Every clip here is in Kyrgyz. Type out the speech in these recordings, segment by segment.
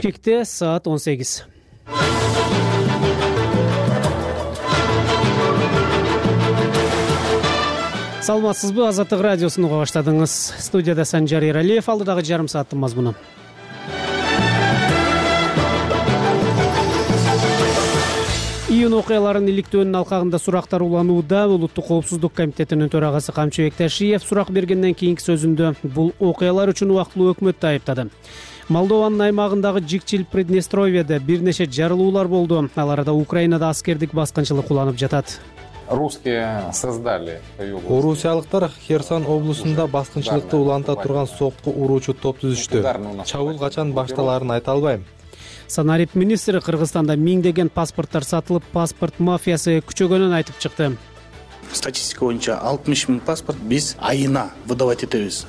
Кекте саат 18. Саламатсызбы? Азаттык радиосун уга баштадыңыз. Студияда Санжар Эралиев, алдыдагы жарым сааттын мазмуну. Июнь окуяларынын иликтөөнүн алкагында сурактар уланууда. Улуттук коопсуздук комитетинин төрагасы Камчыбек Ташиев сурак бергенден кийинки сөзүндө бул окуялар үчүн убактылуу өкмөттү айыптады. Молдованын аймагындагы Жикчил Приднестровьеде бир нече жарылуулар болду. Ал арада Украинада аскердик баскынчылык уланып жатат. Орусиялыктар Херсон облусунда баскынчылыкты уланта турган сокку уруучу топ түзүштү. Чабуул качан башталарын айта албайм. Санарип министри Кыргызстанда миңдеген паспорттор сатылып, паспорт мафиясы күчөгөнүн айтып чыкты. Статистика боюнча 60 000 паспорт биз айына выдавать этебиз.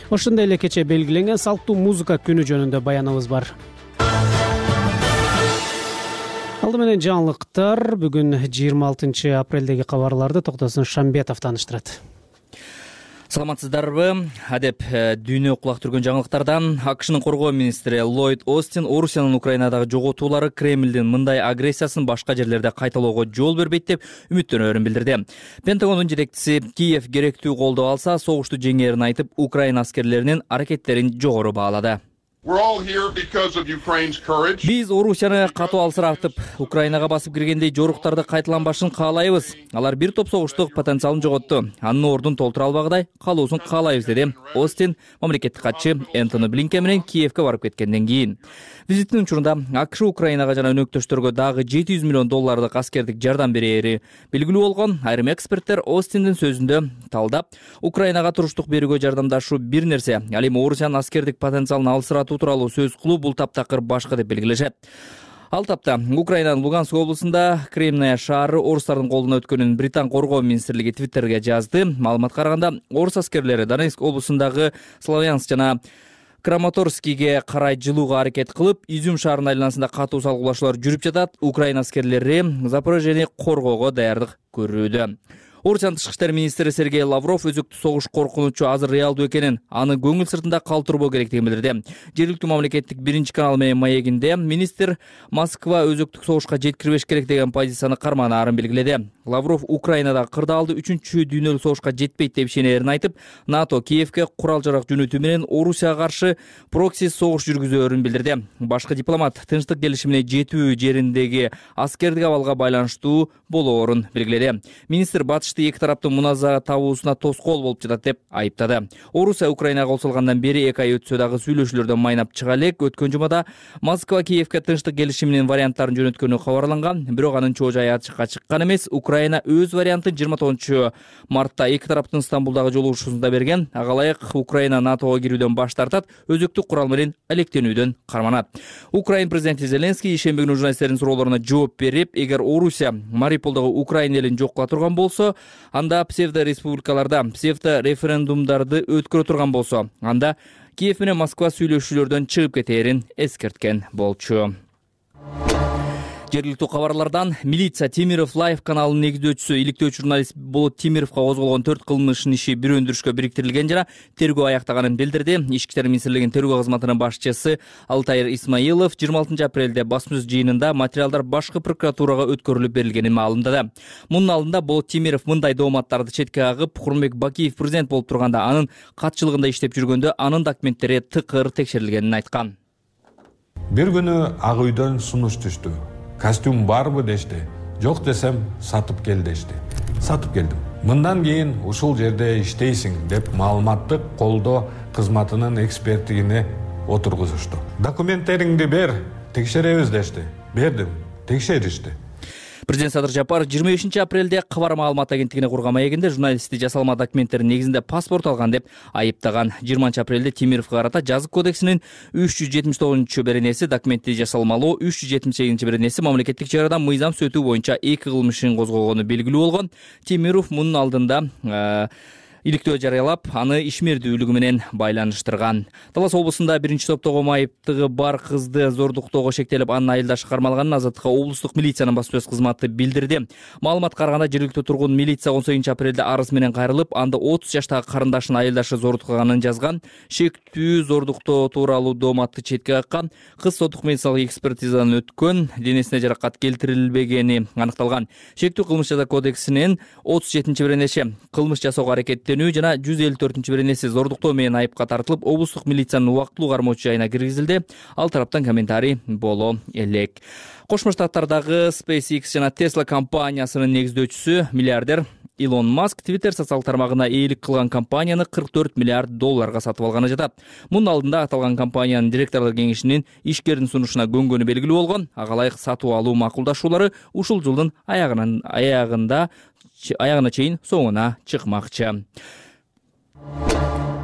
Ошондой эле кечээ белгиленген салттуу музыка күнү жөнүндө баяныбыз бар. Алды менен жаңылыктар. Бүгүн 26 апрелдеги кабарларды Токтосун Шамбетов тааныштырат. Саламатсыздарбы? Адеп дүйнө кулак түргөн жаңылыктардан АКШнын коргоо министри Ллойд Остин Орусиянын Украинадагы жоготуулары Кремлдин мындай агрессиясын башка жерлерде кайталоого жол бербейт деп үмүттөнөрүн билдирди. Пентагондун жетекчиси Киев керектүү колдоо алса, согушту жеңээрин айтып, Украина аскерлеринин аракеттерин жогору баалады. Биз Орусияны катуу алсыратып, Украинага басып киргендей жоруктарды кайталанбашын каалайбыз. Алар бир топ согуштук потенциалын жоготту. Анын ордун толтура албагыдай калуусун каалайбыз, деди Остин мамлекеттик катчы Энтони Блинкен менен Киевке барып кеткенден кийин. Визитинин учурунда АКШ Украинага жана өнөктөштөргө дагы $700 миллион аскердик жардам берери белгилүү болгон. Айрым эксперттер Остиндин сөзүндө талдап, Украинага туруштук берүүгө жардамдашуу бир нерсе, ал эми Орусиянын аскердик потенциалын алсыратуу тууралуу сөз кылуу бул таптакыр башка деп белгилешет. Ал тапта Украинанын Луганск облусунда Кремная шаары орустардын колуна өткөнүн Британ коргоо министрлиги Твиттерге жазды. Маалыматка караганда, орус аскерлери Донецк облусундагы Славянск жана Краматорскийге карай жылууга аракет кылып, Изюм шаарынын айланасында катуу салгылашуулар жүрүп жатат. Украина аскерлери Запорожьени коргоого даярдык көрүүдө. Орусиянын тышкы иштер министри Сергей Лавров өзүктүү согуш коркунучу азыр реалдуу экенин, аны көңүл сыртында калтырбоо керектигин билдирди. Жергиликтүү мамлекеттик биринчи канал менен маегинде министр Москва өзүктүк согушка жеткирбеш керек деген позицияны карманаарын белгиледи. Лавров Украинада кырдаалды 3-чү дүйнөлүк согушка жетпейт деп ишенерин айтып, НАТО Киевке курал-жарак жөнөтүү менен Орусияга каршы прокси согуш жүргүзөөрүн билдирди. Башкы дипломат тынчтык келишимине жетүү жериндеги аскердик абалга байланыштуу болоорун белгиледи. Министр батышты эки тараптын муназара табуусуна тоскоол болуп жатат деп айыптады. Орусия Украинага кошулгандан бери 2 ай өтсө дагы сүйлөшүүлөрдөн майнап чыга элек. Өткөн жумада Москва Киевке тынчтык келишиминин варианттарын жөнөткөнү кабарланган, бирок анын чоо жайы ачыкка чыккан эмес. Украина өз вариантын 29 мартта эки тараптын Стамбулдагы жолугушуусунда берген. Ага ылайык Украина НАТОго кирүүдөн баш тартат, өзөктүк курал менен алектенүүдөн карманат. Украин президенти Зеленский ишемби күнү журналисттердин суроолоруна жооп берип, эгер Орусия Мариуполдогу Украина элин жок кыла турган болсо, анда псевдо-республикаларда псевдо-референдумдарды өткөрө турган болсо, анда Киев менен Москва сүйлөшүүлөрдөн чыгып кетээрин эскерткен болчу. Жергиликтүү кабарлардан милиция Темиров Лайв каналынын негиздөөчүсү, иликтөөчү журналист Болот Темировго козголгон 4 кылмыштын иши бир өндүрүшкө бириктирилген жана тергөө аяктаганын билдирди. Ички иштер министрлигинин тергөө кызматынын башчысы Алтайыр Исмаилов 26 апрелде басма сөз жыйынында материалдар башкы прокуратурага өткөрүлүп берилгенин маалымдады. Мунун алдында Болот Темиров мындай дооматтарды четке кагып, Курманбек Бакиев президент болуп турганда анын катчылыгында иштеп жүргөндө анын документтери тыкыр текшерилгенин айткан. Бир күнү ак үйдөн сунуш түштү. Костюм барбы дешти. Жок десем, сатып кел дешти. Сатып келдим. Мындан кийин ушул жерде иштейсиң деп маалыматтык колдоо кызматынын эксперттигине отургузушту. Документтериңди бер, текшеребиз дешти. Бердим, текшеришти. Президент Садыр Жапаров 25 апрелде Кабар маалымат агенттигине курган маегинде журналистти жасалма документтердин негизинде паспорт алган деп айыптаган. 20 апрелде Темировго карата Жазык кодексинин 379 беренеси документти жасалмалоо, 378 беренеси мамлекеттик чек арадан мыйзам сөтүү боюнча 2 кылмышын козгогону белгилүү болгон. Темиров мунун алдында иликтөө жарыялап, аны ишмердүүлүгү менен байланыштырган. Талас облусунда биринчи топтогу майыптыгы бар кызды зордуктоого шектелип, анын айылдашы кармалганын Азаттыкка облустук милициянын баспасөз кызматы билдирди. Маалыматка караганда жергиликтүү тургун милиция 18-апрелде арыз менен кайрылып, анда 30 жаштагы карындашын айылдашы зордуклаганын жазган. Шектүү зордуктоо тууралуу дооматты четке каккан. Кыз соттук медициналык экспертизадан өткөн, денесине жаракат келтирилбегени аныкталган. Шектүү кылмыш жаза кодексинин 37-беренеси кылмыш жасоого аракеттенүү жана 154-беренеси зордуктоо менен айыпка тартылып, облустук милициянын убактылуу кармоочу жайына киргизилди. Ал тараптан комментарий боло элек. Кошмо Штаттардагы SpaceX жана Tesla компаниясынын негиздөөчүсү миллиардер Илон Маск Twitter социалдык тармагына ээлик кылган компанияны $44 миллиард сатып алганы жатат. Мунун алдында аталган компаниянын директорлор кеңешинин ишкердин сунушуна көнгөнү белгилүү болгон. Ага ылайык сатып алуу макулдашуулары ушул жылдын аягына чейин соңуна чыкмакчы.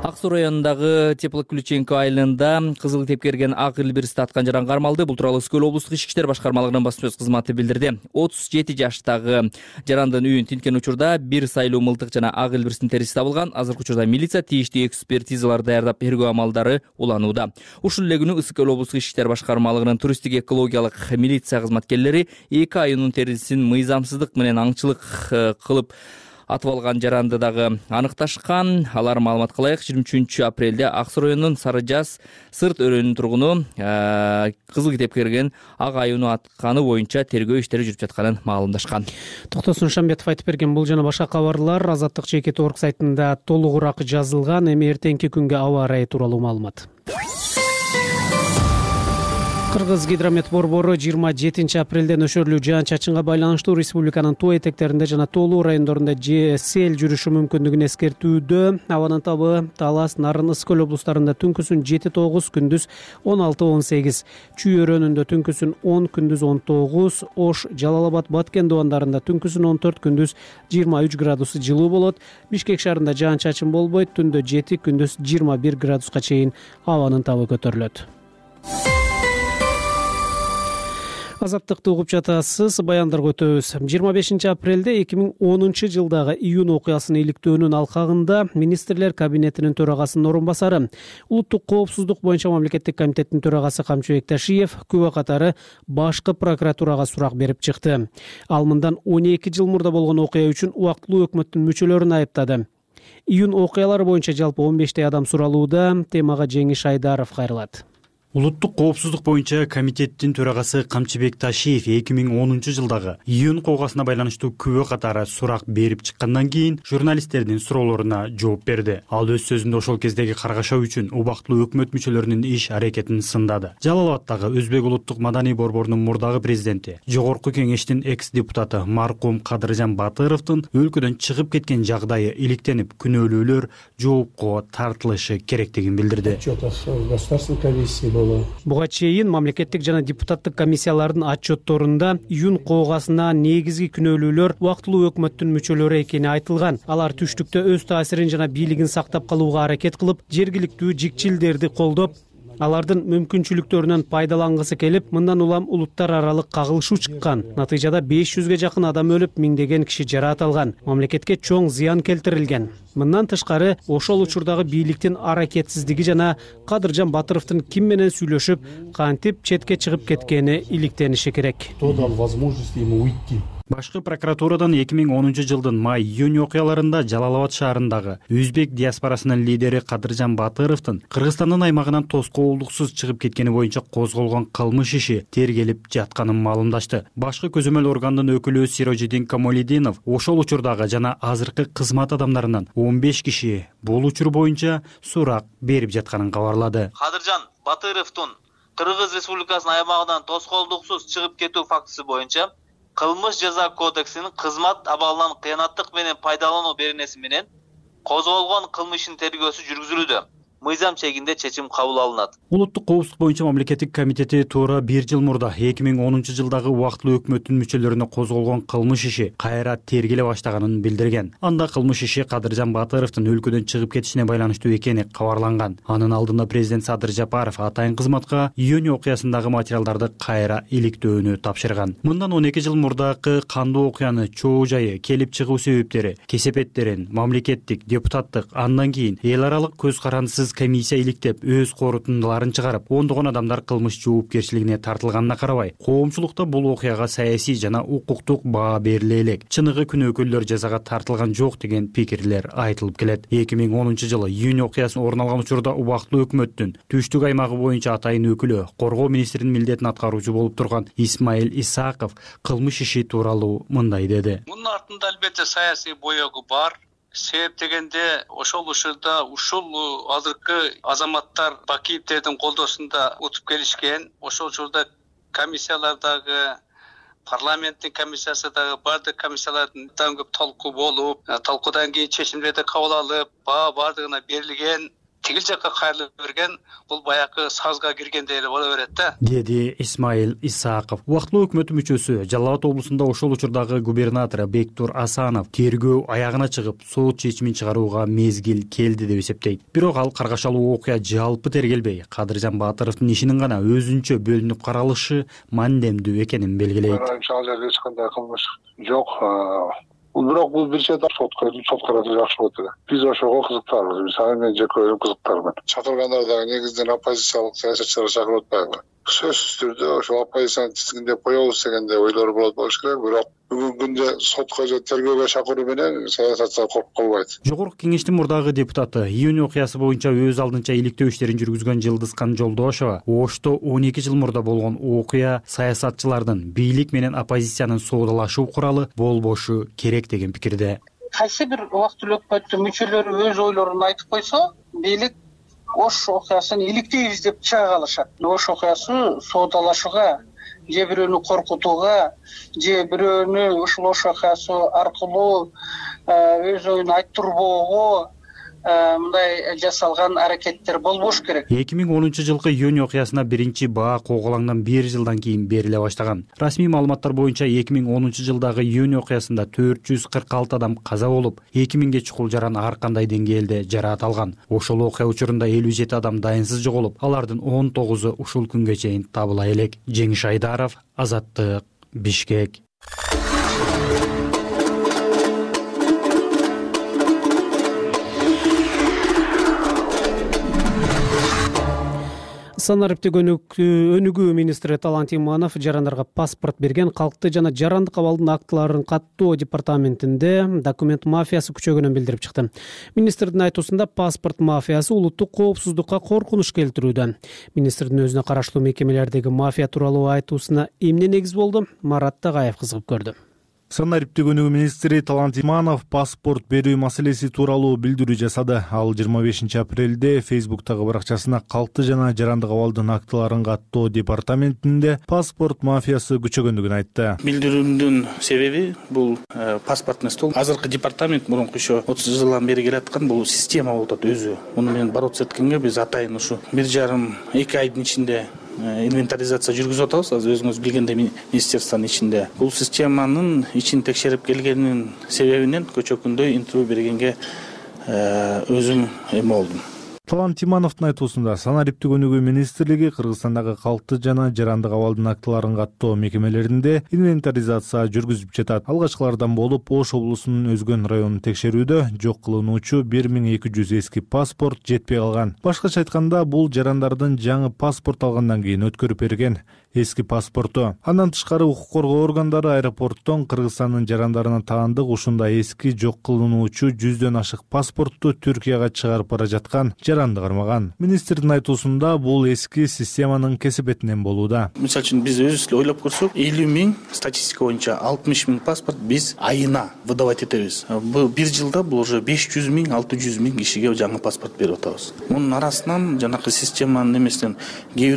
Ак Суу районундагы Теплоключенко айылында кызыл тепкерген ак Элбирсти аткан жаран кармалды. Бул тууралуу Өскөл облустук ички иштер башкармалыгынын баспасөз кызматы билдирди. 37 жаштагы жарандын үйүн тинткен учурда бир сайлуу мылтык жана ак Элбирстин териси табылган. Азыркы учурда милиция тийиштүү экспертизалар даярдап, тергөө амалдары уланууда. Ушул эле күнү Өскөл облустук ички иштер башкармалыгынын туристтик экологиялык милиция кызматкерлери 2 айынын терисин мыйзамсыздык менен аңчылык кылып атып алган жаранды дагы аныкташкан. Алар маалыматка ылайык 23-апрелде Ак Суу районунун Сары Жаз Сырт өрөөнүнүн тургуну кызыл тепкерген ак аюуну атканы боюнча тергөө иштери жүрүп жатканын маалымдашкан. Токтосун Шамбетов айтып берген бул жана башка кабарлар Азаттык ЖКТ.org сайтында толугураак жазылган. Эми эртеңки күнгө аба ырайы тууралуу маалымат. Кыргыз гидромет борбору 27-апрелде нөшөрлүү жаан-чачынга байланыштуу республиканын тоо этектеринде жана тоолуу райондорунда сел жүрүшү мүмкүндүгүн эскертүүдө. Абанын табы Талас, Нарын, Ысык-Көл облустарында түнкүсүн 7-9, күндүз 16-18, Чүй өрөөнүндө түнкүсүн 10, күндүз 19, Ош, Жалал Абад, Баткен дубандарында түнкүсүн 14, күндүз 23 градус жылуу болот. Бишкек шаарында жаан-чачын болбойт, түндө 7, күндүз 21 градуска чейин абанын табы көтөрүлөт. Азаттыкты угуп жатасыз, баяндарга өтөбүз. 25-апрелде 2010 жылдагы июнь окуясын иликтөөнүн алкагында министрлер кабинетинин төрагасынын орун басары, улуттук коопсуздук боюнча мамлекеттик комитеттин төрагасы Камчыбек Ташиев күбө катары башкы прокуратурага сурак берип чыкты. Ал мындан 12 жыл мурда болгон окуя үчүн убактылуу өкмөттүн мүчөлөрүн айыптады. Июнь окуялары боюнча жалпы 15 адам суралууда. Темага Жеңиш Айдаров кайрылат. Улуттук коопсуздук боюнча комитеттин төрагасы Камчыбек Ташиев 2010 жылдагы июнь окуясына байланыштуу күбө катары сурак берип чыккандан кийин журналисттердин суроолоруна жооп берди. Ал өз сөзүндө ошол кездеги каргашуу үчүн убактылуу өкмөт мүчөлөрүнүн иш аракетин сындады. Жалал Абадтагы Өзбек улуттук маданий борборунун мурдагы президенти, Жогорку кеңештин экс-депутаты маркум Кадыржан Батыровдун өлкөдөн чыгып кеткен жагдайы иликтенип, күнөөлүүлөр жоопко тартылышы керектигин билдирди. Буга чейин мамлекеттик жана депутаттык комиссиялардын отчетторунда июнь коогасына негизги күнөөлүүлөр убактылуу өкмөттүн мүчөлөрү экени айтылган. Алар түштүктө өз таасирин жана бийлигин сактап калууга аракет кылып, жергиликтүү жикчилдерди колдоп, алардын мүмкүнчүлүктөрүнөн пайдалангысы келип, мындан улам улуттар аралык кагылышуу чыккан. Натыйжада 500ге жакын адам өлүп, миңдеген киши жараат алган. Мамлекетке чоң зыян келтирилген. Мындан тышкары, ошол учурдагы бийликтин аракетсиздиги жана Кадыржан Батыровдун ким менен сүйлөшүп, кантип четке чыгып кеткени иликтениши керек. Башкы прокуратурадан 2010 жылдын май-июнь окуяларында Жалал Абад шаарындагы өзбек диаспорасынын лидери Кадыржан Батыровдун Кыргызстандын аймагынан тоскоолдуксуз чыгып кеткени боюнча козголгон кылмыш иши тергелип жатканын маалымдашты. Башкы көзөмөл органдын өкүлү Сирожидин Камолидинов ошол учурдагы жана азыркы кызмат адамдарынан 15 киши бул учур боюнча сурак берип жатканын кабарлады. Кадыржан Батыровдун Кыргыз Республикасынын аймагынан тоскоолдуксуз чыгып кетүү фактысы боюнча Кылмыш жаза кодексинин кызмат абалынан кыянаттык менен пайдалануу беренеси менен козголгон кылмыштын тергөөсү жүргүзүлүүдө. мыйзам чегинде чечим кабыл алынат. Улуттук коопсуздук боюнча мамлекеттик комитети туура 1 жыл мурда 2010 жылдагы убактылуу өкмөттүн мүчөлөрүнө козголгон кылмыш иши кайра тергеле баштаганын билдирген. Анда кылмыш иши Кадыржан Батыровдун өлкөдөн чыгып кетишине байланыштуу экени кабарланган. Анын алдында президент Садыр Жапаров атайын кызматка июнь окуясындагы материалдарды кайра иликтөөнү тапшырган. Мындан 12 жыл мурдагы кандуу окуяны чоо жайы, келип чыгуу себептери, кесепеттерин мамлекеттик, депутаттык, андан кийин эл аралык көз карандысыз комиссия иликтеп, өз корутундуларын чыгарып, ондогон адамдар кылмыш жоопкерчилигине тартылганына карабай, коомчулукта бул окуяга саясий жана укуктук баа бериле элек. Чыныгы күнөөкөрлөр жазага тартылган жок деген пикирлер айтылып келет. 2010 жылы июнь окуясы орун алган учурда убактылуу өкмөттүн түштүк аймагы боюнча атайын өкүлү, коргоо министринин милдетин аткаруучу болуп турган Исмаил Исаков кылмыш иши тууралуу мындай деди. Мунун артында албетте саясий боёгу бар. Себеп дегенде ошол учурда ушул азыркы азаматтар Бакиевдердин колдосунда утуп келишкен. Ошол учурда комиссиялардагы, парламенттин комиссиясы дагы бардык комиссиялардын көп талкуу болуп, талкуудан кийин чечимдерди кабыл алып, баардыгына берилген. Тигил жакка кайрылып берген, бул баягы сазга киргендей эле боло берет да, деди Исмаил Исаков. Убактылуу өкмөт мүчөсү Жалал Абад облусунда ошол учурдагы губернатору Бектур Асанов тергөө аягына чыгып, сот чечимин чыгарууга мезгил келди деп эсептейт. Бирок ал каргашалуу окуя жалпы тергелбей, Кадыржан Батыровдун ишинин гана өзүнчө бөлүнүп каралышы мандемдүү экенин белгилейт. Ал жерде эч кандай кылмыш жок. Бирок бул бир жерде сотко карата жакшы болот эле. Биз ошого кызыктарбыз. Мисалы мен жеке өзүм кызыктармын. Чакыргандар дагы негизинен оппозициялык саясатчылар чакырып атпайбы? Сөзсүз түрдө ошол оппозициянын тизгинде коебуз дегенде ойлор болуш керек, бирок бүгүнкү күндө сотко же тергөөгө чакыруу менен саясатчылар коркуп калбайт. Жогорку кеңештин мурдагы депутаты, июнь окуясы боюнча өз алдынча иликтөө иштерин жүргүзгөн Жылдызкан Жолдошова Ошто 12 жыл мурда болгон окуя саясатчылардын бийлик менен оппозициянын соодалашуу куралы болбошу керек деген пикирде. Кайсы бир убактылуу өкмөттүн мүчөлөрү өз ойлорун айтып койсо, бийлик Ош окуясын иликтейбиз деп чыга калышат. Ош окуясы соодалашууга, же бирөөнү коркутууга, же бирөөнү ушул Ош окуясы аркылуу өз оюн айттырбоого мындай жасалган аракеттер болбош керек. 2010 жылкы июнь окуясына биринчи баа Коголаңдан 1 жылдан кийин бериле баштаган. Расмий маалыматтар боюнча 2010 жылдагы июнь окуясында 446 адам каза болуп, 2000ге чукул жаран ар кандай деңгээлде жараат алган. Ошол окуя учурунда 57 адам дайынсыз жоголуп, алардын 19у ушул күнгө чейин табыла элек. Жеңиш Айдаров, Азаттык, Бишкек. Санариптик өнүгүү министри Талант Иманов жарандарга паспорт берген калкты жана жарандык абалдын актыларын каттоо департаментинде документ мафиясы күчөгөнүн билдирип чыкты. Министрдин айтуусунда паспорт мафиясы улуттук коопсуздукка коркунуч келтирүүдө. Министрдин өзүнө караштуу мекемелердеги мафия тууралуу айтуусуна эмне негиз болду? Марат Тагаев кызыгып көрдү. Санариптик өнүгүү министри Талант Иманов паспорт берүү маселеси тууралуу билдирүү жасады. Ал 25 апрелде Фейсбуктагы баракчасына калкты жана жарандык абалдын актыларын каттоо департаментинде паспорт мафиясы күчөгөндүгүн айтты. Билдирүүмдүн себеби бул паспортный стол. Азыркы департамент мурунку еще 30 жылдан бери келаткан бул система болуп атат өзү. Муну менен бороться эткенге биз атайын ушу 1,5-2 айдын ичинде инвентаризация жүргүзүп атабыз. Азыр өзүңүз билгендей министерствонун ичинде. Бул системанын ичин текшерип келгенин себебинен көчөкүндөй интервью бергенге өзүм эме болдум. Талант Имановдун айтуусунда Санариптик өнүгүү министрлиги Кыргызстандагы калкты жана жарандык абалдын актыларын каттоо мекемелеринде инвентаризация жүргүзүп жатат. Алгачкылардан болуп Ош облусунун Өзгөн районун текшерүүдө жок кылынуучу 1200 эски паспорт жетпей калган. Башкача айтканда, бул жарандардын жаңы паспорт алгандан кийин өткөрүп берген эски паспорту. Андан тышкары укук коргоо органдары аэропорттон Кыргызстандын жарандарына таандык ушундай эски жок кылынуучу 100дөн ашык паспортту Түркияга чыгарып бара жаткан жаранды кармаган. Министрдин айтуусунда бул эски системанын кесепетинен болууда. Мисалы үчүн биз өзүбүз ойлоп көрсөк, 50 000 статистика боюнча 60 000 паспорт биз айына выдавать этебиз. Бул бир жылда бул уже 500 000, 600 000 кишиге жаңы паспорт берип атабыз. Мунун арасынан жанакы системанын эмесинен кээ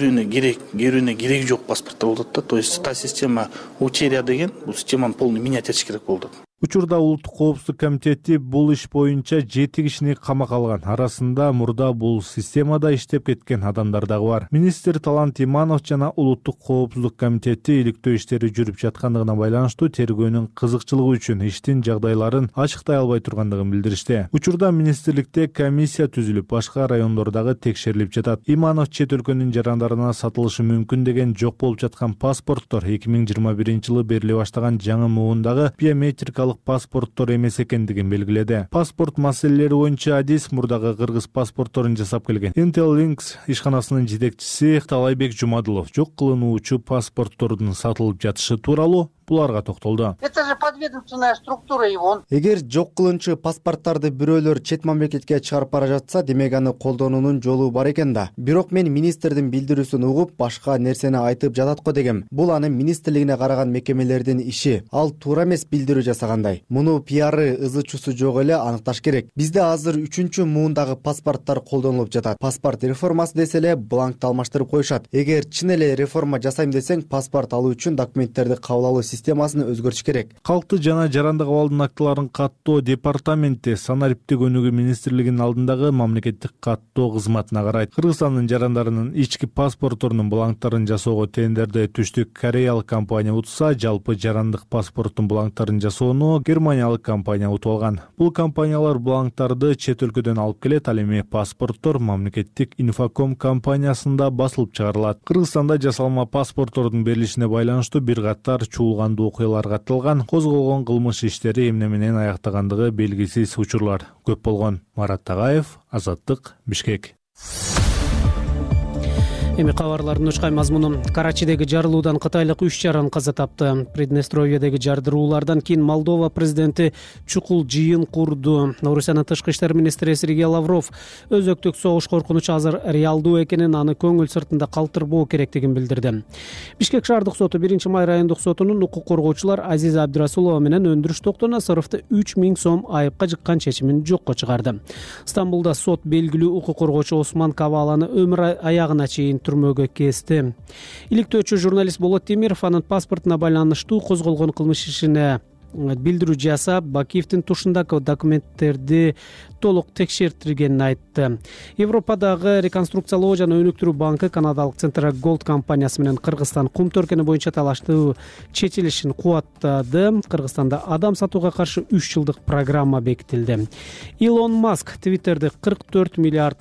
бирөөнө кереги жок паспорттор болот да. То есть та система утеря деген, бул системаны полный менять этиш керек болду. Учурда улуттук коопсуздук комитети бул иш боюнча 7 кишини камакка алган. Арасында мурда бул системада иштеп кеткен адамдар дагы бар. Министр Талант Иманов жана улуттук коопсуздук комитети иликтөө иштери жүрүп жаткандыгына байланыштуу тергөөнүн кызыкчылыгы үчүн иштин жагдайларын ачыктай албай тургандыгын билдиришти. Учурда министрликте комиссия түзүлүп, башка райондордогу текшерилип жатат. Иманов чет өлкөнүн жарандарына сатылышы мүмкүн деген жок болуп жаткан паспорттор 2021-жылы бериле баштаган жаңы муундагы биометрикалык паспорттор эмес экендигин белгиледи. Паспорт маселелери боюнча адис мурдагы кыргыз паспортторун жасап келген. Intel Links ишканасынын жетекчиси Талайбек Жумадылов жок кылынуучу паспорттордун сатылып жатышы тууралуу буларга токтолду. Это же подведомственная структура его. Эгер жок кылынчу паспорттарды бирөөлөр чет мамлекетке чыгарып бара жатса, демек аны колдонуунун жолу бар экен да. Бирок мен министрдин билдирүүсүн угуп, башка нерсени айтып жатат го дегем. Бул анын министрлигине караган мекемелердин иши. Ал туура эмес билдирүү жасагандай. Муну пиары ызы-чусу жок эле аныкташ керек. Бизде азыр 3-чү муундагы паспорттар колдонулуп жатат. Паспорт реформасы десе эле бланкты алмаштырып коюшат. Эгер чын эле реформа жасайм десең, паспорт алуу үчүн документтерди кабыл алуу системасын өзгөртүш керек. Калкты жана жарандык абалдын актыларын каттоо департаменти санариптик өнүгүү министрлигинин алдындагы мамлекеттик каттоо кызматына карайт. Кыргызстандын жарандарынын ички паспортторунун бланктарын жасоого тендерде түштүк кореялык компания утса, жалпы жарандык паспорттун бланктарын жасоону германиялык компания утуп алган. Бул компаниялар бланктарды чет өлкөдөн алып келет, ал эми паспорттор мамлекеттик Инфоком компаниясында басылып чыгарылат. Кыргызстанда жасалма паспорттордун берилишине байланыштуу бир катар чуулгандуу окуялар катталган, козголгон кылмыш иштери эмне менен аяктагандыгы белгисиз учурлар көп болгон. Марат Тагаев, Азаттык, Бишкек. Эми кабарлардын учкай мазмуну. Карачидеги жарылуудан кытайлык 3 жаран каза тапты. Приднестровьедеги жардыруулардан кийин Молдова президенти чукул жыйын курду. Орусиянын тышкы иштер министри Сергей Лавров өзөктүк согуш коркунучу азыр реалдуу экенин, аны көңүл сыртында калтырбоо керектигин билдирди. Бишкек шаардык соту 1-май райондук сотунун укук коргоочулар Азиза Абдырасулова менен Өндүрүш Токтонасыровду 3000 сом айыпка жыккан чечимин жокко чыгарды. Стамбулда сот белгилүү укук коргоочу Осман Каваланы өмүр аягына чейин түрмөгө кести. Иликтөөчү журналист Болот Темиров анын паспортуна байланыштуу козголгон кылмыш ишине билдирүү жасап, Бакиевдин тушундагы документтерди толук текшертиргенин айтты. Европадагы реконструкциялоо жана өнүктүрүү банкы канадалык Центра Голд компаниясы менен Кыргызстан кум төркүнү боюнча талаштуу чечилишин кубаттады. Кыргызстанда адам сатууга каршы 3 жылдык программа бекитилди. Илон Маск Twitter'ди $44 миллиард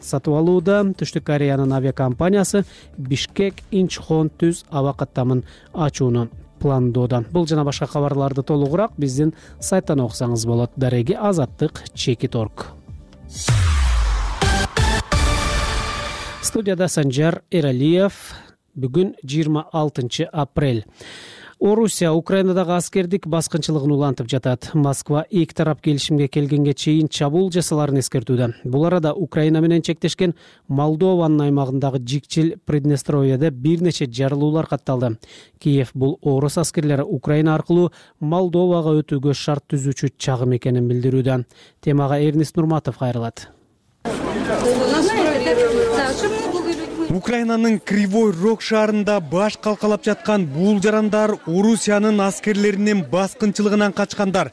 сатып алууда. Түштүк Кореянын авиакомпаниясы Бишкек Инчхон түз аба каттамын ачууну пландоодо. Бул жана башка кабарларды толугураак биздин сайттан окусаңыз болот. Дареги Азаттык.org. Студияда Санжар Эралиев. Бүгүн 26 апрель. Орусия Украинадагы аскердик баскынчылыгын улантып жатат. Москва эки тарап келишимге келгенге чейин чабуул жасаларын эскертүүдө. Бул арада Украина менен чектешкен Молдованын аймагындагы жикчил Приднестровьеде бир нече жарылуулар катталды. Киев бул орус аскерлери Украина аркылуу Молдовага өтүүгө шарт түзүүчү чагым экенин билдирүүдө. Темага Эрнист Нурматов кайрылат. Украинанын Кривой Рог шаарында баш калкалап жаткан бул жарандар Орусиянын аскерлеринин баскынчылыгынан качкандар.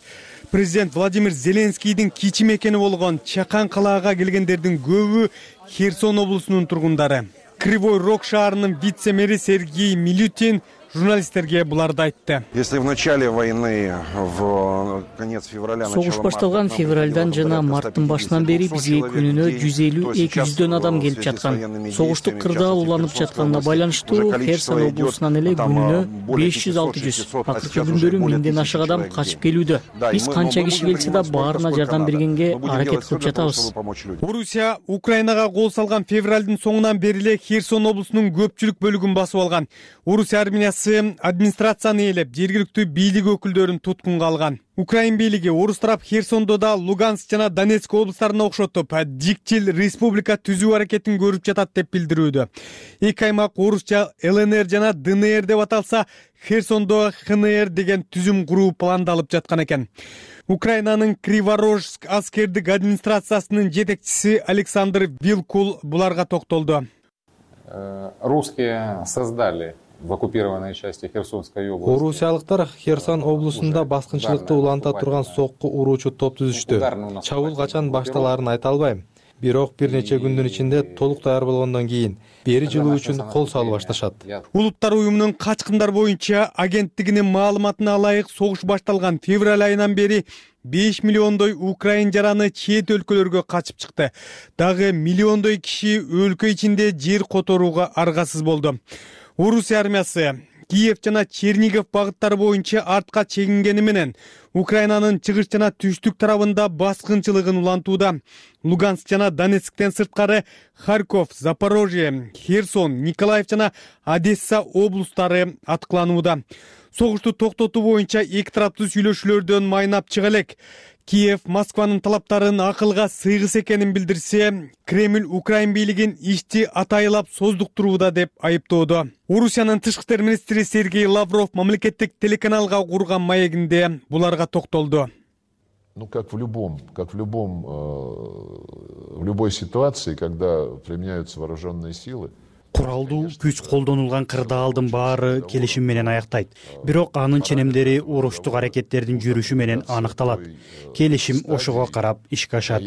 Президент Владимир Зеленскийдин кичи мекени болгон Чакан калаага келгендердин көбү Херсон облусунун тургундары. Кривой Рог шаарынын вице-мэри Сергей Милютин журналисттерге буларды айтты. Если в начале войны в конец февраля согуш башталган февралдан жана марттын башынан бери бизге күнүнө 150-200 адам келип жаткан. Согуштук кырдаал уланып жатканына байланыштуу Херсон облусунан эле күнүнө 500-600, акыркы күндөрү 1000ден ашык адам качып келүүдө. Биз канча киши келсе да баарына жардам бергенге аракет кылып жатабыз. Орусия Украинага кол салган февралдын соңунан бери эле Херсон облусунун көпчүлүк бөлүгүн басып алган. Орусия армиясы администрацияны ээлеп, жергиликтүү бийлик өкүлдөрүн туткунга алган. Украин бийлиги орус тарап Херсондо да Луганск жана Донецк облустарына окшотуп, жикчил республика түзүү аракетин көрүп жатат деп билдирүүдө. Эки аймак орусча ЛНР жана ДНР деп аталса, Херсондо ХНР деген түзүм куруу пландалып жаткан экен. Украинанын Криворожск аскердик администрациясынын жетекчиси Александр Вилкул буларга токтолду. Русские создали в оккупированной части Херсонской области. Орусиялыктар Херсон облусунда баскынчылыкты уланта турган сокку уруучу топ түзүштү. Чабуул качан башталаарын айта албайм. Бирок бир нече күндүн ичинде толук даяр болгондон кийин бери жылуу үчүн кол салып башташат. Улуттар уюмунун качкындар боюнча агенттигинин маалыматына ылайык согуш башталган февраль айынан бери 5 миллиондой украин жараны чет өлкөлөргө качып чыкты. Дагы миллиондой киши өлкө ичинде жер которууга аргасыз болду. Орусия армиясы Киев жана Чернигов багыттары боюнча артка чегингени менен Украинанын чыгыш жана түштүк тарабында баскынчылыгын улантууда. Луганск жана Донецктен сырткары Харьков, Запорожье, Херсон, Николаев жана Одесса облустары аткыланууда. Согушту токтотуу боюнча эки тараптуу сүйлөшүүлөрдөн майнап чыга элек. Киев Москванын талаптарын акылга сыйгыс экенин билдирсе, Кремль Украин бийлигин ишти атайылап создуктурууда деп айыптоодо. Орусиянын тышкы иштер министри Сергей Лавров мамлекеттик телеканалга курган маегинде буларга токтолду. Как в любой ситуации, когда применяются вооруженные силы, куралдуу күч колдонулган кырдаалдын баары келишим менен аяктайт. Бирок анын ченемдери уруштук аракеттердин жүрүшү менен аныкталат. Келишим ошого карап ишке ашат.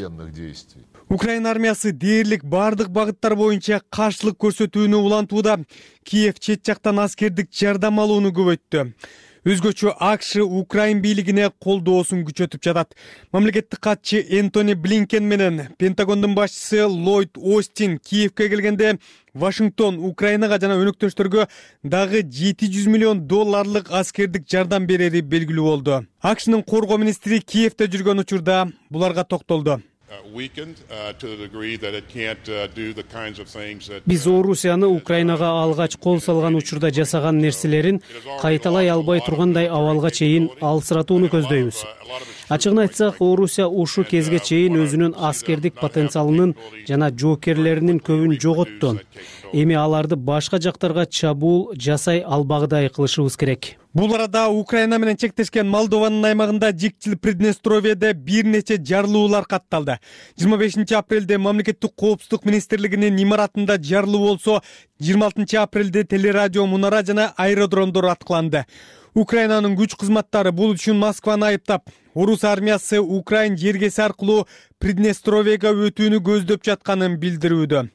Украина армиясы дээрлик бардык багыттар боюнча каршылык көрсөтүүнү улантууда. Киев чет жактан аскердик жардам алууну көбөйттү. Өзгөчө АКШ Украин бийлигине колдоосун күчөтүп жатат. Мамлекеттик катчы Энтони Блинкен менен Пентагондун башчысы Ллойд Остин Киевке келгенде Вашингтон Украинага жана өнөктөштөргө дагы $700 миллион аскердик жардам берери белгилүү болду. АКШнын коргоо министри Киевде жүргөн учурда буларга токтолду. Биз Орусияны Украинага алгач кол салган учурда жасаган нерселерин кайталай албай тургандай абалга чейин алсыратууну көздөйбүз. Ачыгын айтсак, Орусия ушул кезге чейин өзүнүн аскердик потенциалынын жана жоокерлеринин көбүн жоготту. Эми аларды башка жактарга чабуул жасай албагыдай кылышыбыз керек. Бул арада Украина менен чектешкен Молдованын аймагында жикчил Приднестровьеде бир нече жарылуулар катталды. 25 апрелде мамлекеттик коопсуздук министрлигинин имаратында жарылуу болсо, 26 апрелде телерадио мунара жана аэродромдор аткыланды. Украинанын күч кызматтары бул үчүн Москваны айыптап, Орус армиясы Украин жергеси аркылуу Приднестровьега өтүүнү көздөп жатканын билдирүүдө.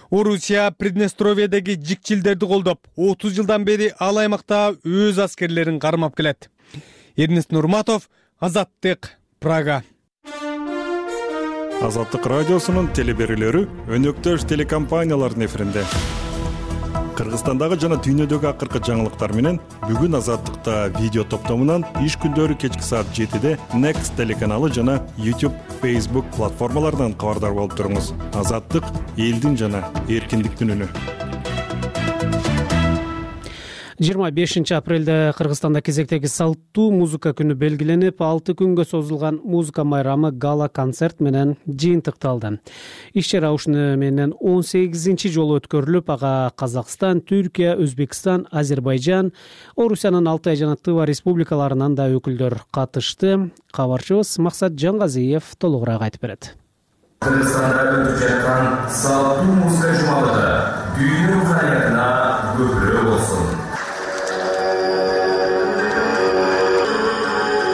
Орусия Приднестровьедеги жикчилдерди колдоп, 30 жылдан бери ал аймакта өз аскерлерин кармап келет. Эрнест Нурматов, Азаттык, Прага. Азаттык радиосунун телеберүүлөрү өнөктөш телекомпаниялардын эфиринде. Кыргызстандагы жана дүйнөдөгү акыркы жаңылыктар менен бүгүн Азаттыкта видео топтомунан иш күндөрү кечки саат 7-де Next телеканалы жана YouTube, Facebook платформаларынан кабардар болуп туруңуз. Азаттык элдин жана эркиндиктин үнү. 25 апрелде Кыргызстанда кезектеги салттуу музыка күнү белгиленип, 6 күнгө созулган музыка майрамы гала концерт менен жыйынтыкталды. Иш-чара ушуну менен 18-чи жолу өткөрүлүп, ага Казакстан, Түркия, Өзбекстан, Азербайжан, Орусиянын Алтай жана Тыва республикаларынан да өкүлдөр катышты. Кабарчыбыз Максат Жангазиев толугураак айтып берет. Кыргызстанда өтүп жаткан салттуу музыка жумалыгы дүйнө руханиятына көпүрө болсун.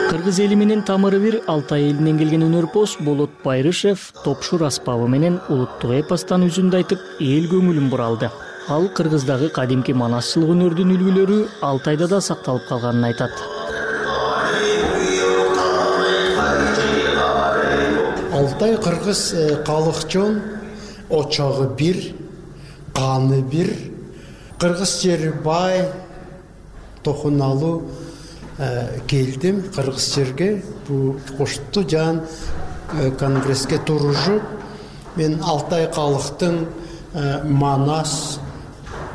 Кыргыз эли менен тамыры бир Алтай элинен келген өнөрпоз Болот Байрышев топшур аспабы менен улуттук эпостан үзүндү айтып, эл көңүлүн буралды. Ал кыргыздагы кадимки манасчылык өнөрдүн үлгүлөрү Алтайда да сакталып калганын айтат. Алтай кыргыз калыкчын очогу бир, каны бир, кыргыз жери бай, токуналуу. Келдим кыргыз жерге, бул кошту жан конгресске турушуп, мен Алтай калыктын манас,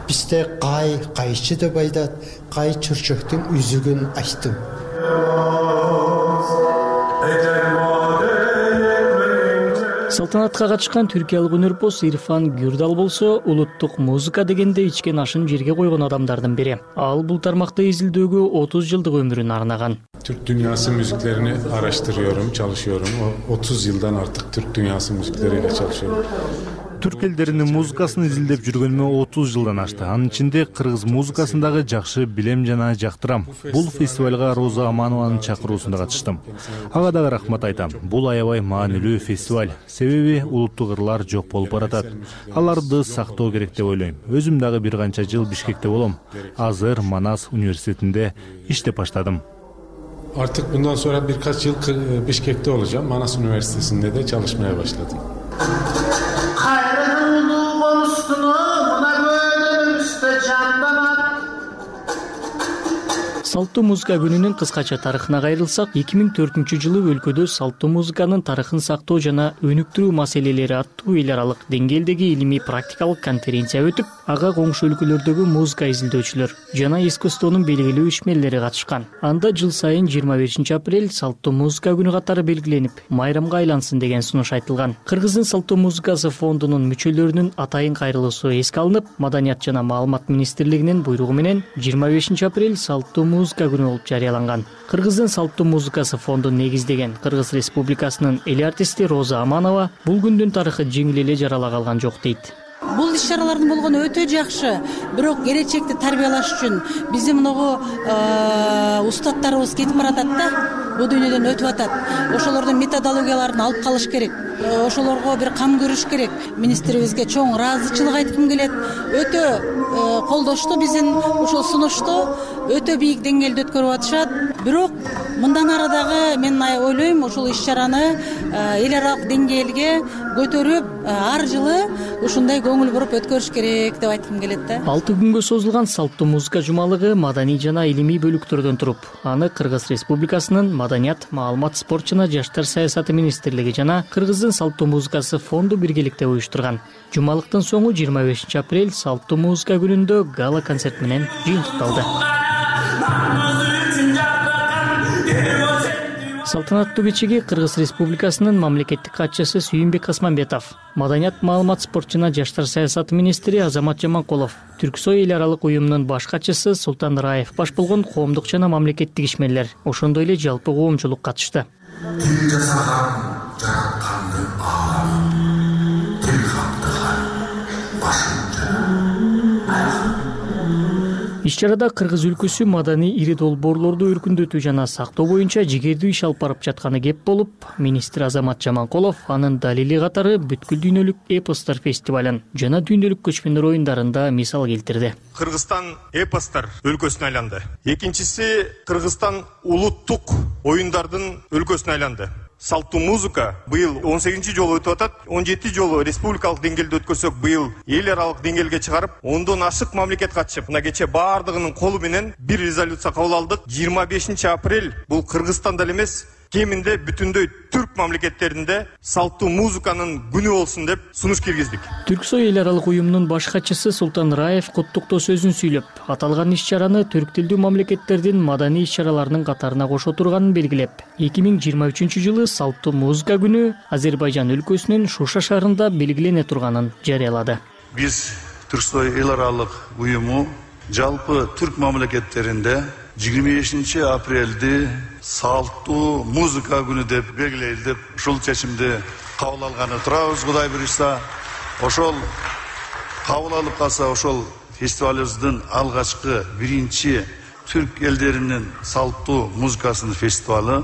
бизде кайчы деп айтат, кай чурчоктун үзүгүн ачтым. Салтанатка катышкан түркиялык өнөрпоз Ирфан Гүрдал болсо, улуттук музыка дегенде ичкен ашын жерге койгон адамдардын бири. Ал бул тармакта изилдөөгө 30 жылдык өмүрүн арнаган. Türk dünyası müziklerini araştırıyorum, çalışıyorum. 30 yıldan artık Türk dünyası müzikleriyle çalışıyorum. Түрк элдеринин музыкасын изилдеп жүргөнүмө 30 жылдан ашты. Анын ичинде кыргыз музыкасын дагы жакшы билем жана жактырам. Бул фестивалга Роза Аманованын чакыруусунда катыштым. Ага дагы рахмат айтам. Бул аябай маанилүү фестиваль. Себеби улуттук ырлар жок болуп баратат. Аларды сактоо керек деп ойлойм. Өзүм дагы бир канча жыл Бишкекте болом. Азыр Манас университетинде иштеп баштадым. Artık bundan sonra birkaç yıl Bişkek'te olacağım. Manas Üniversitesi'nde de çalışmaya başladım. Салттуу музыка күнүнүн кыскача тарыхына кайрылсак, 2004-жылы өлкөдө салттуу музыканын тарыхын сактоо жана өнүктүрүү маселелери аттуу эл аралык деңгээлдеги илимий практикалык конференция өтүп, ага коңшу өлкөлөрдөгү музыка изилдөөчүлөр жана искусствонун белгилүү ишмерлери катышкан. Анда жыл сайын 25 апрель салттуу музыка күнү катары белгиленип, майрамга айлансын деген сунуш айтылган. Кыргыздын салттуу музыкасы фондунун мүчөлөрүнүн атайын кайрылуусу эске алынып, Маданият жана маалымат министрлигинин буйругу менен 25 апрель салттуу музыка күнү болуп жарыяланган. Кыргыздын салттуу музыкасы фондун негиздеген Кыргыз Республикасынын эл артисти Роза Аманова бул күндүн тарыхы жеңил эле жарала калган жок дейт. Бул иш-чаралардын болгону өтө жакшы, бирок келечекти тарбиялаш үчүн биздин мынагу устаттарыбыз кетип баратат да, бул дүйнөдөн өтүп атат. Ошолордун методологияларын алып калыш керек. Ошолорго бир кам көрүш керек. Министрибизге чоң ыраазычылык айткым келет. Өтө колдошту биздин ушул сунушту өтө бийик деңгээлде өткөрүп атышат. Бирок мындан ары дагы мен ойлойм, ушул иш-чараны эл аралык деңгээлге көтөрүп, ар жылы ушундай көңүл буруп өткөрүш керек деп айткым келет да. 6 күнгө созулган салттуу музыка жумалыгы маданий жана илимий бөлүктөрдөн туруп, аны Кыргыз Республикасынын Маданият, маалымат, спорт жана жаштар саясаты министрлиги жана Кыргыздын салттуу музыкасы фонду биргеликте уюштурган. Жумалыктын соңу 25 апрель салттуу музыка күнүндө гала концерт менен жыйынтыкталды. Салтанаттуу кечеге Кыргыз Республикасынын мамлекеттик катчысы Сүйүнбек Асманбетов, Маданият, маалымат, спорт жана жаштар саясаты министри Азамат Жаманкулов, Түрксой эл аралык уюмунун баш катчысы Султан Раев баш болгон коомдук жана мамлекеттик ишмерлер, ошондой эле жалпы коомчулук катышты. Тил жасаган жаратканды ааламын, тил каптыган башымды аяк. Иш-чарада Кыргыз өлкөсү маданий ири долбоорлорду өркүндөтүү жана сактоо боюнча жигердүү иш алып барып жатканы кеп болуп, министр Азамат Жаманкулов анын далили катары бүткүл дүйнөлүк эпостор фестивалын жана дүйнөлүк көчмөндөр оюндарында мисал келтирди. Кыргызстан эпостор өлкөсүнө айланды. Экинчиси Кыргызстан улуттук оюндардын өлкөсүнө айланды. Салттуу музыка быйыл 18 жолу өтүп атат. 17 жолу республикалык деңгээлде өткөрсөк, быйыл эл аралык деңгээлге чыгарып, 10дон ашык мамлекет катышып, мына кече баардыгынын колу менен бир резолюция кабыл алдык. 25 апрель бул Кыргызстанда эле эмес, кеминде бүтүндөй түрк мамлекеттеринде салттуу музыканын күнү болсун деп сунуш киргиздик. Түрксой эл аралык уюмунун баш катчысы Султан Раев куттуктоо сөзүн сүйлөп, аталган иш-чараны түрк тилдүү мамлекеттердин маданий иш-чараларынын катарына кошо турганын белгилеп, 2023-жылы салттуу музыка күнү Азербайжан өлкөсүнүн Шуша шаарында белгилене турганын жарыялады. Биз Түрксой эл аралык уюму жалпы түрк мамлекеттеринде 25 апрелди салттуу музыка күнү деп белгилейли деп ушул чечимди кабыл алганы турабыз. Кудай буюрса, ошол кабыл алып калса, ошол фестивалыбыздын алгачкы биринчи түрк элдеринин салттуу музыкасынын фестивалы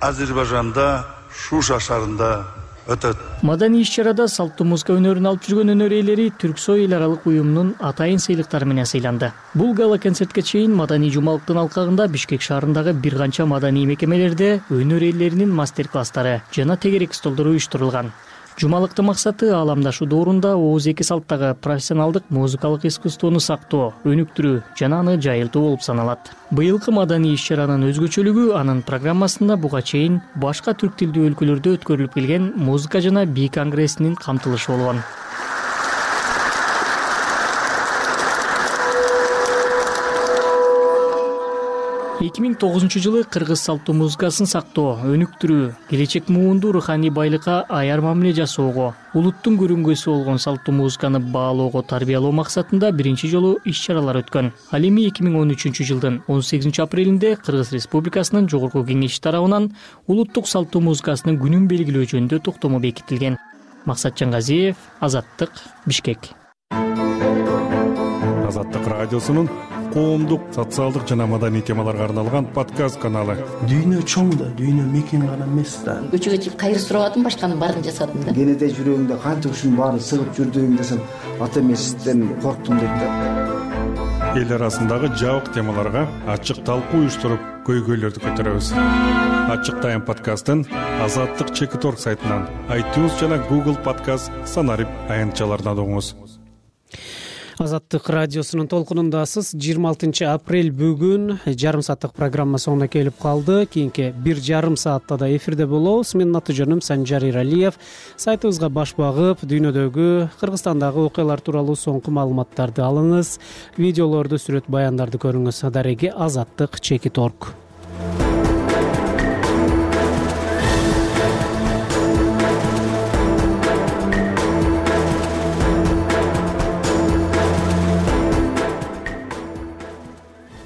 Азербайжанда Шуша шаарында өтөт. Маданий иш-чарада салттуу музыка өнөрүн алып жүргөн өнөр ээлери Түрксой эл аралык уюмунун атайын сыйлыктары менен сыйланды. Бул гала концертке чейин маданий жумалыктын алкагында Бишкек шаарындагы бир канча маданий мекемелерде өнөр ээлеринин мастер-класстары жана тегерек столдор уюштурулган. Жумалыктын максаты ааламдашуу доорунда ооз эки салттагы профессионалдык музыкалык искусствону сактоо, өнүктүрүү жана аны жайылтуу болуп саналат. Быйылкы маданий иш-чаранын өзгөчөлүгү анын программасында буга чейин башка түрк тилдүү өлкөлөрдө өткөрүлүп келген музыка жана би конгрессинин камтылышы болгон. 2009-жылы кыргыз салттуу музыкасын сактоо, өнүктүрүү, келечек муунду руханий байлыкка аяр мамиле жасоого, улуттун көрүнгөсү болгон салттуу музыканы баалоого, тарбиялоо максатында биринчи жолу иш-чаралар өткөн. Ал эми 2013-жылдын 18 апрелинде Кыргыз Республикасынын Жогорку Кеңеши тарабынан улуттук салттуу музыкасынын күнүн белгилөө жөнүндө токтому бекитилген. Максат Жангазиев, Азаттык, Бишкек. Азаттык радиосунун коомдук, социалдык жана маданий темаларга арналган подкаст каналы. Дүйнө чоң да, дүйнө мекен гана эмес да. Көчөгө чыгып кайыр сурабадым, башканын баарын жасадым да. Кенеде жүрөгүңдө канча ушунун баары сыгып жүрдүң десем, ата эмесизден корктум дейт да. Эл арасындагы жабык темаларга ачык талкуу уюштуруп, көйгөйлөрдү көтөрөбүз. Ачык Тайм подкастын Азаттык Чекит.org сайтынан, iTunes жана Google Podcast санарип аянтчаларынан угуңуз. Азаттык радиосунун толкунундасыз. 26 апрель бүгүн жарым сааттык программа соңуна келип калды. Кийинки 1,5 саатта да эфирде болобуз. Менин аты-жөнүм Санжар Иралиев. Сайтыбызга баш багып, дүйнөдөгү, Кыргызстандагы окуялар тууралуу соңку маалыматтарды алыңыз. Видеолорду, сүрөт баяндарды көрүңүз. Дареги Азаттык Чекит.org.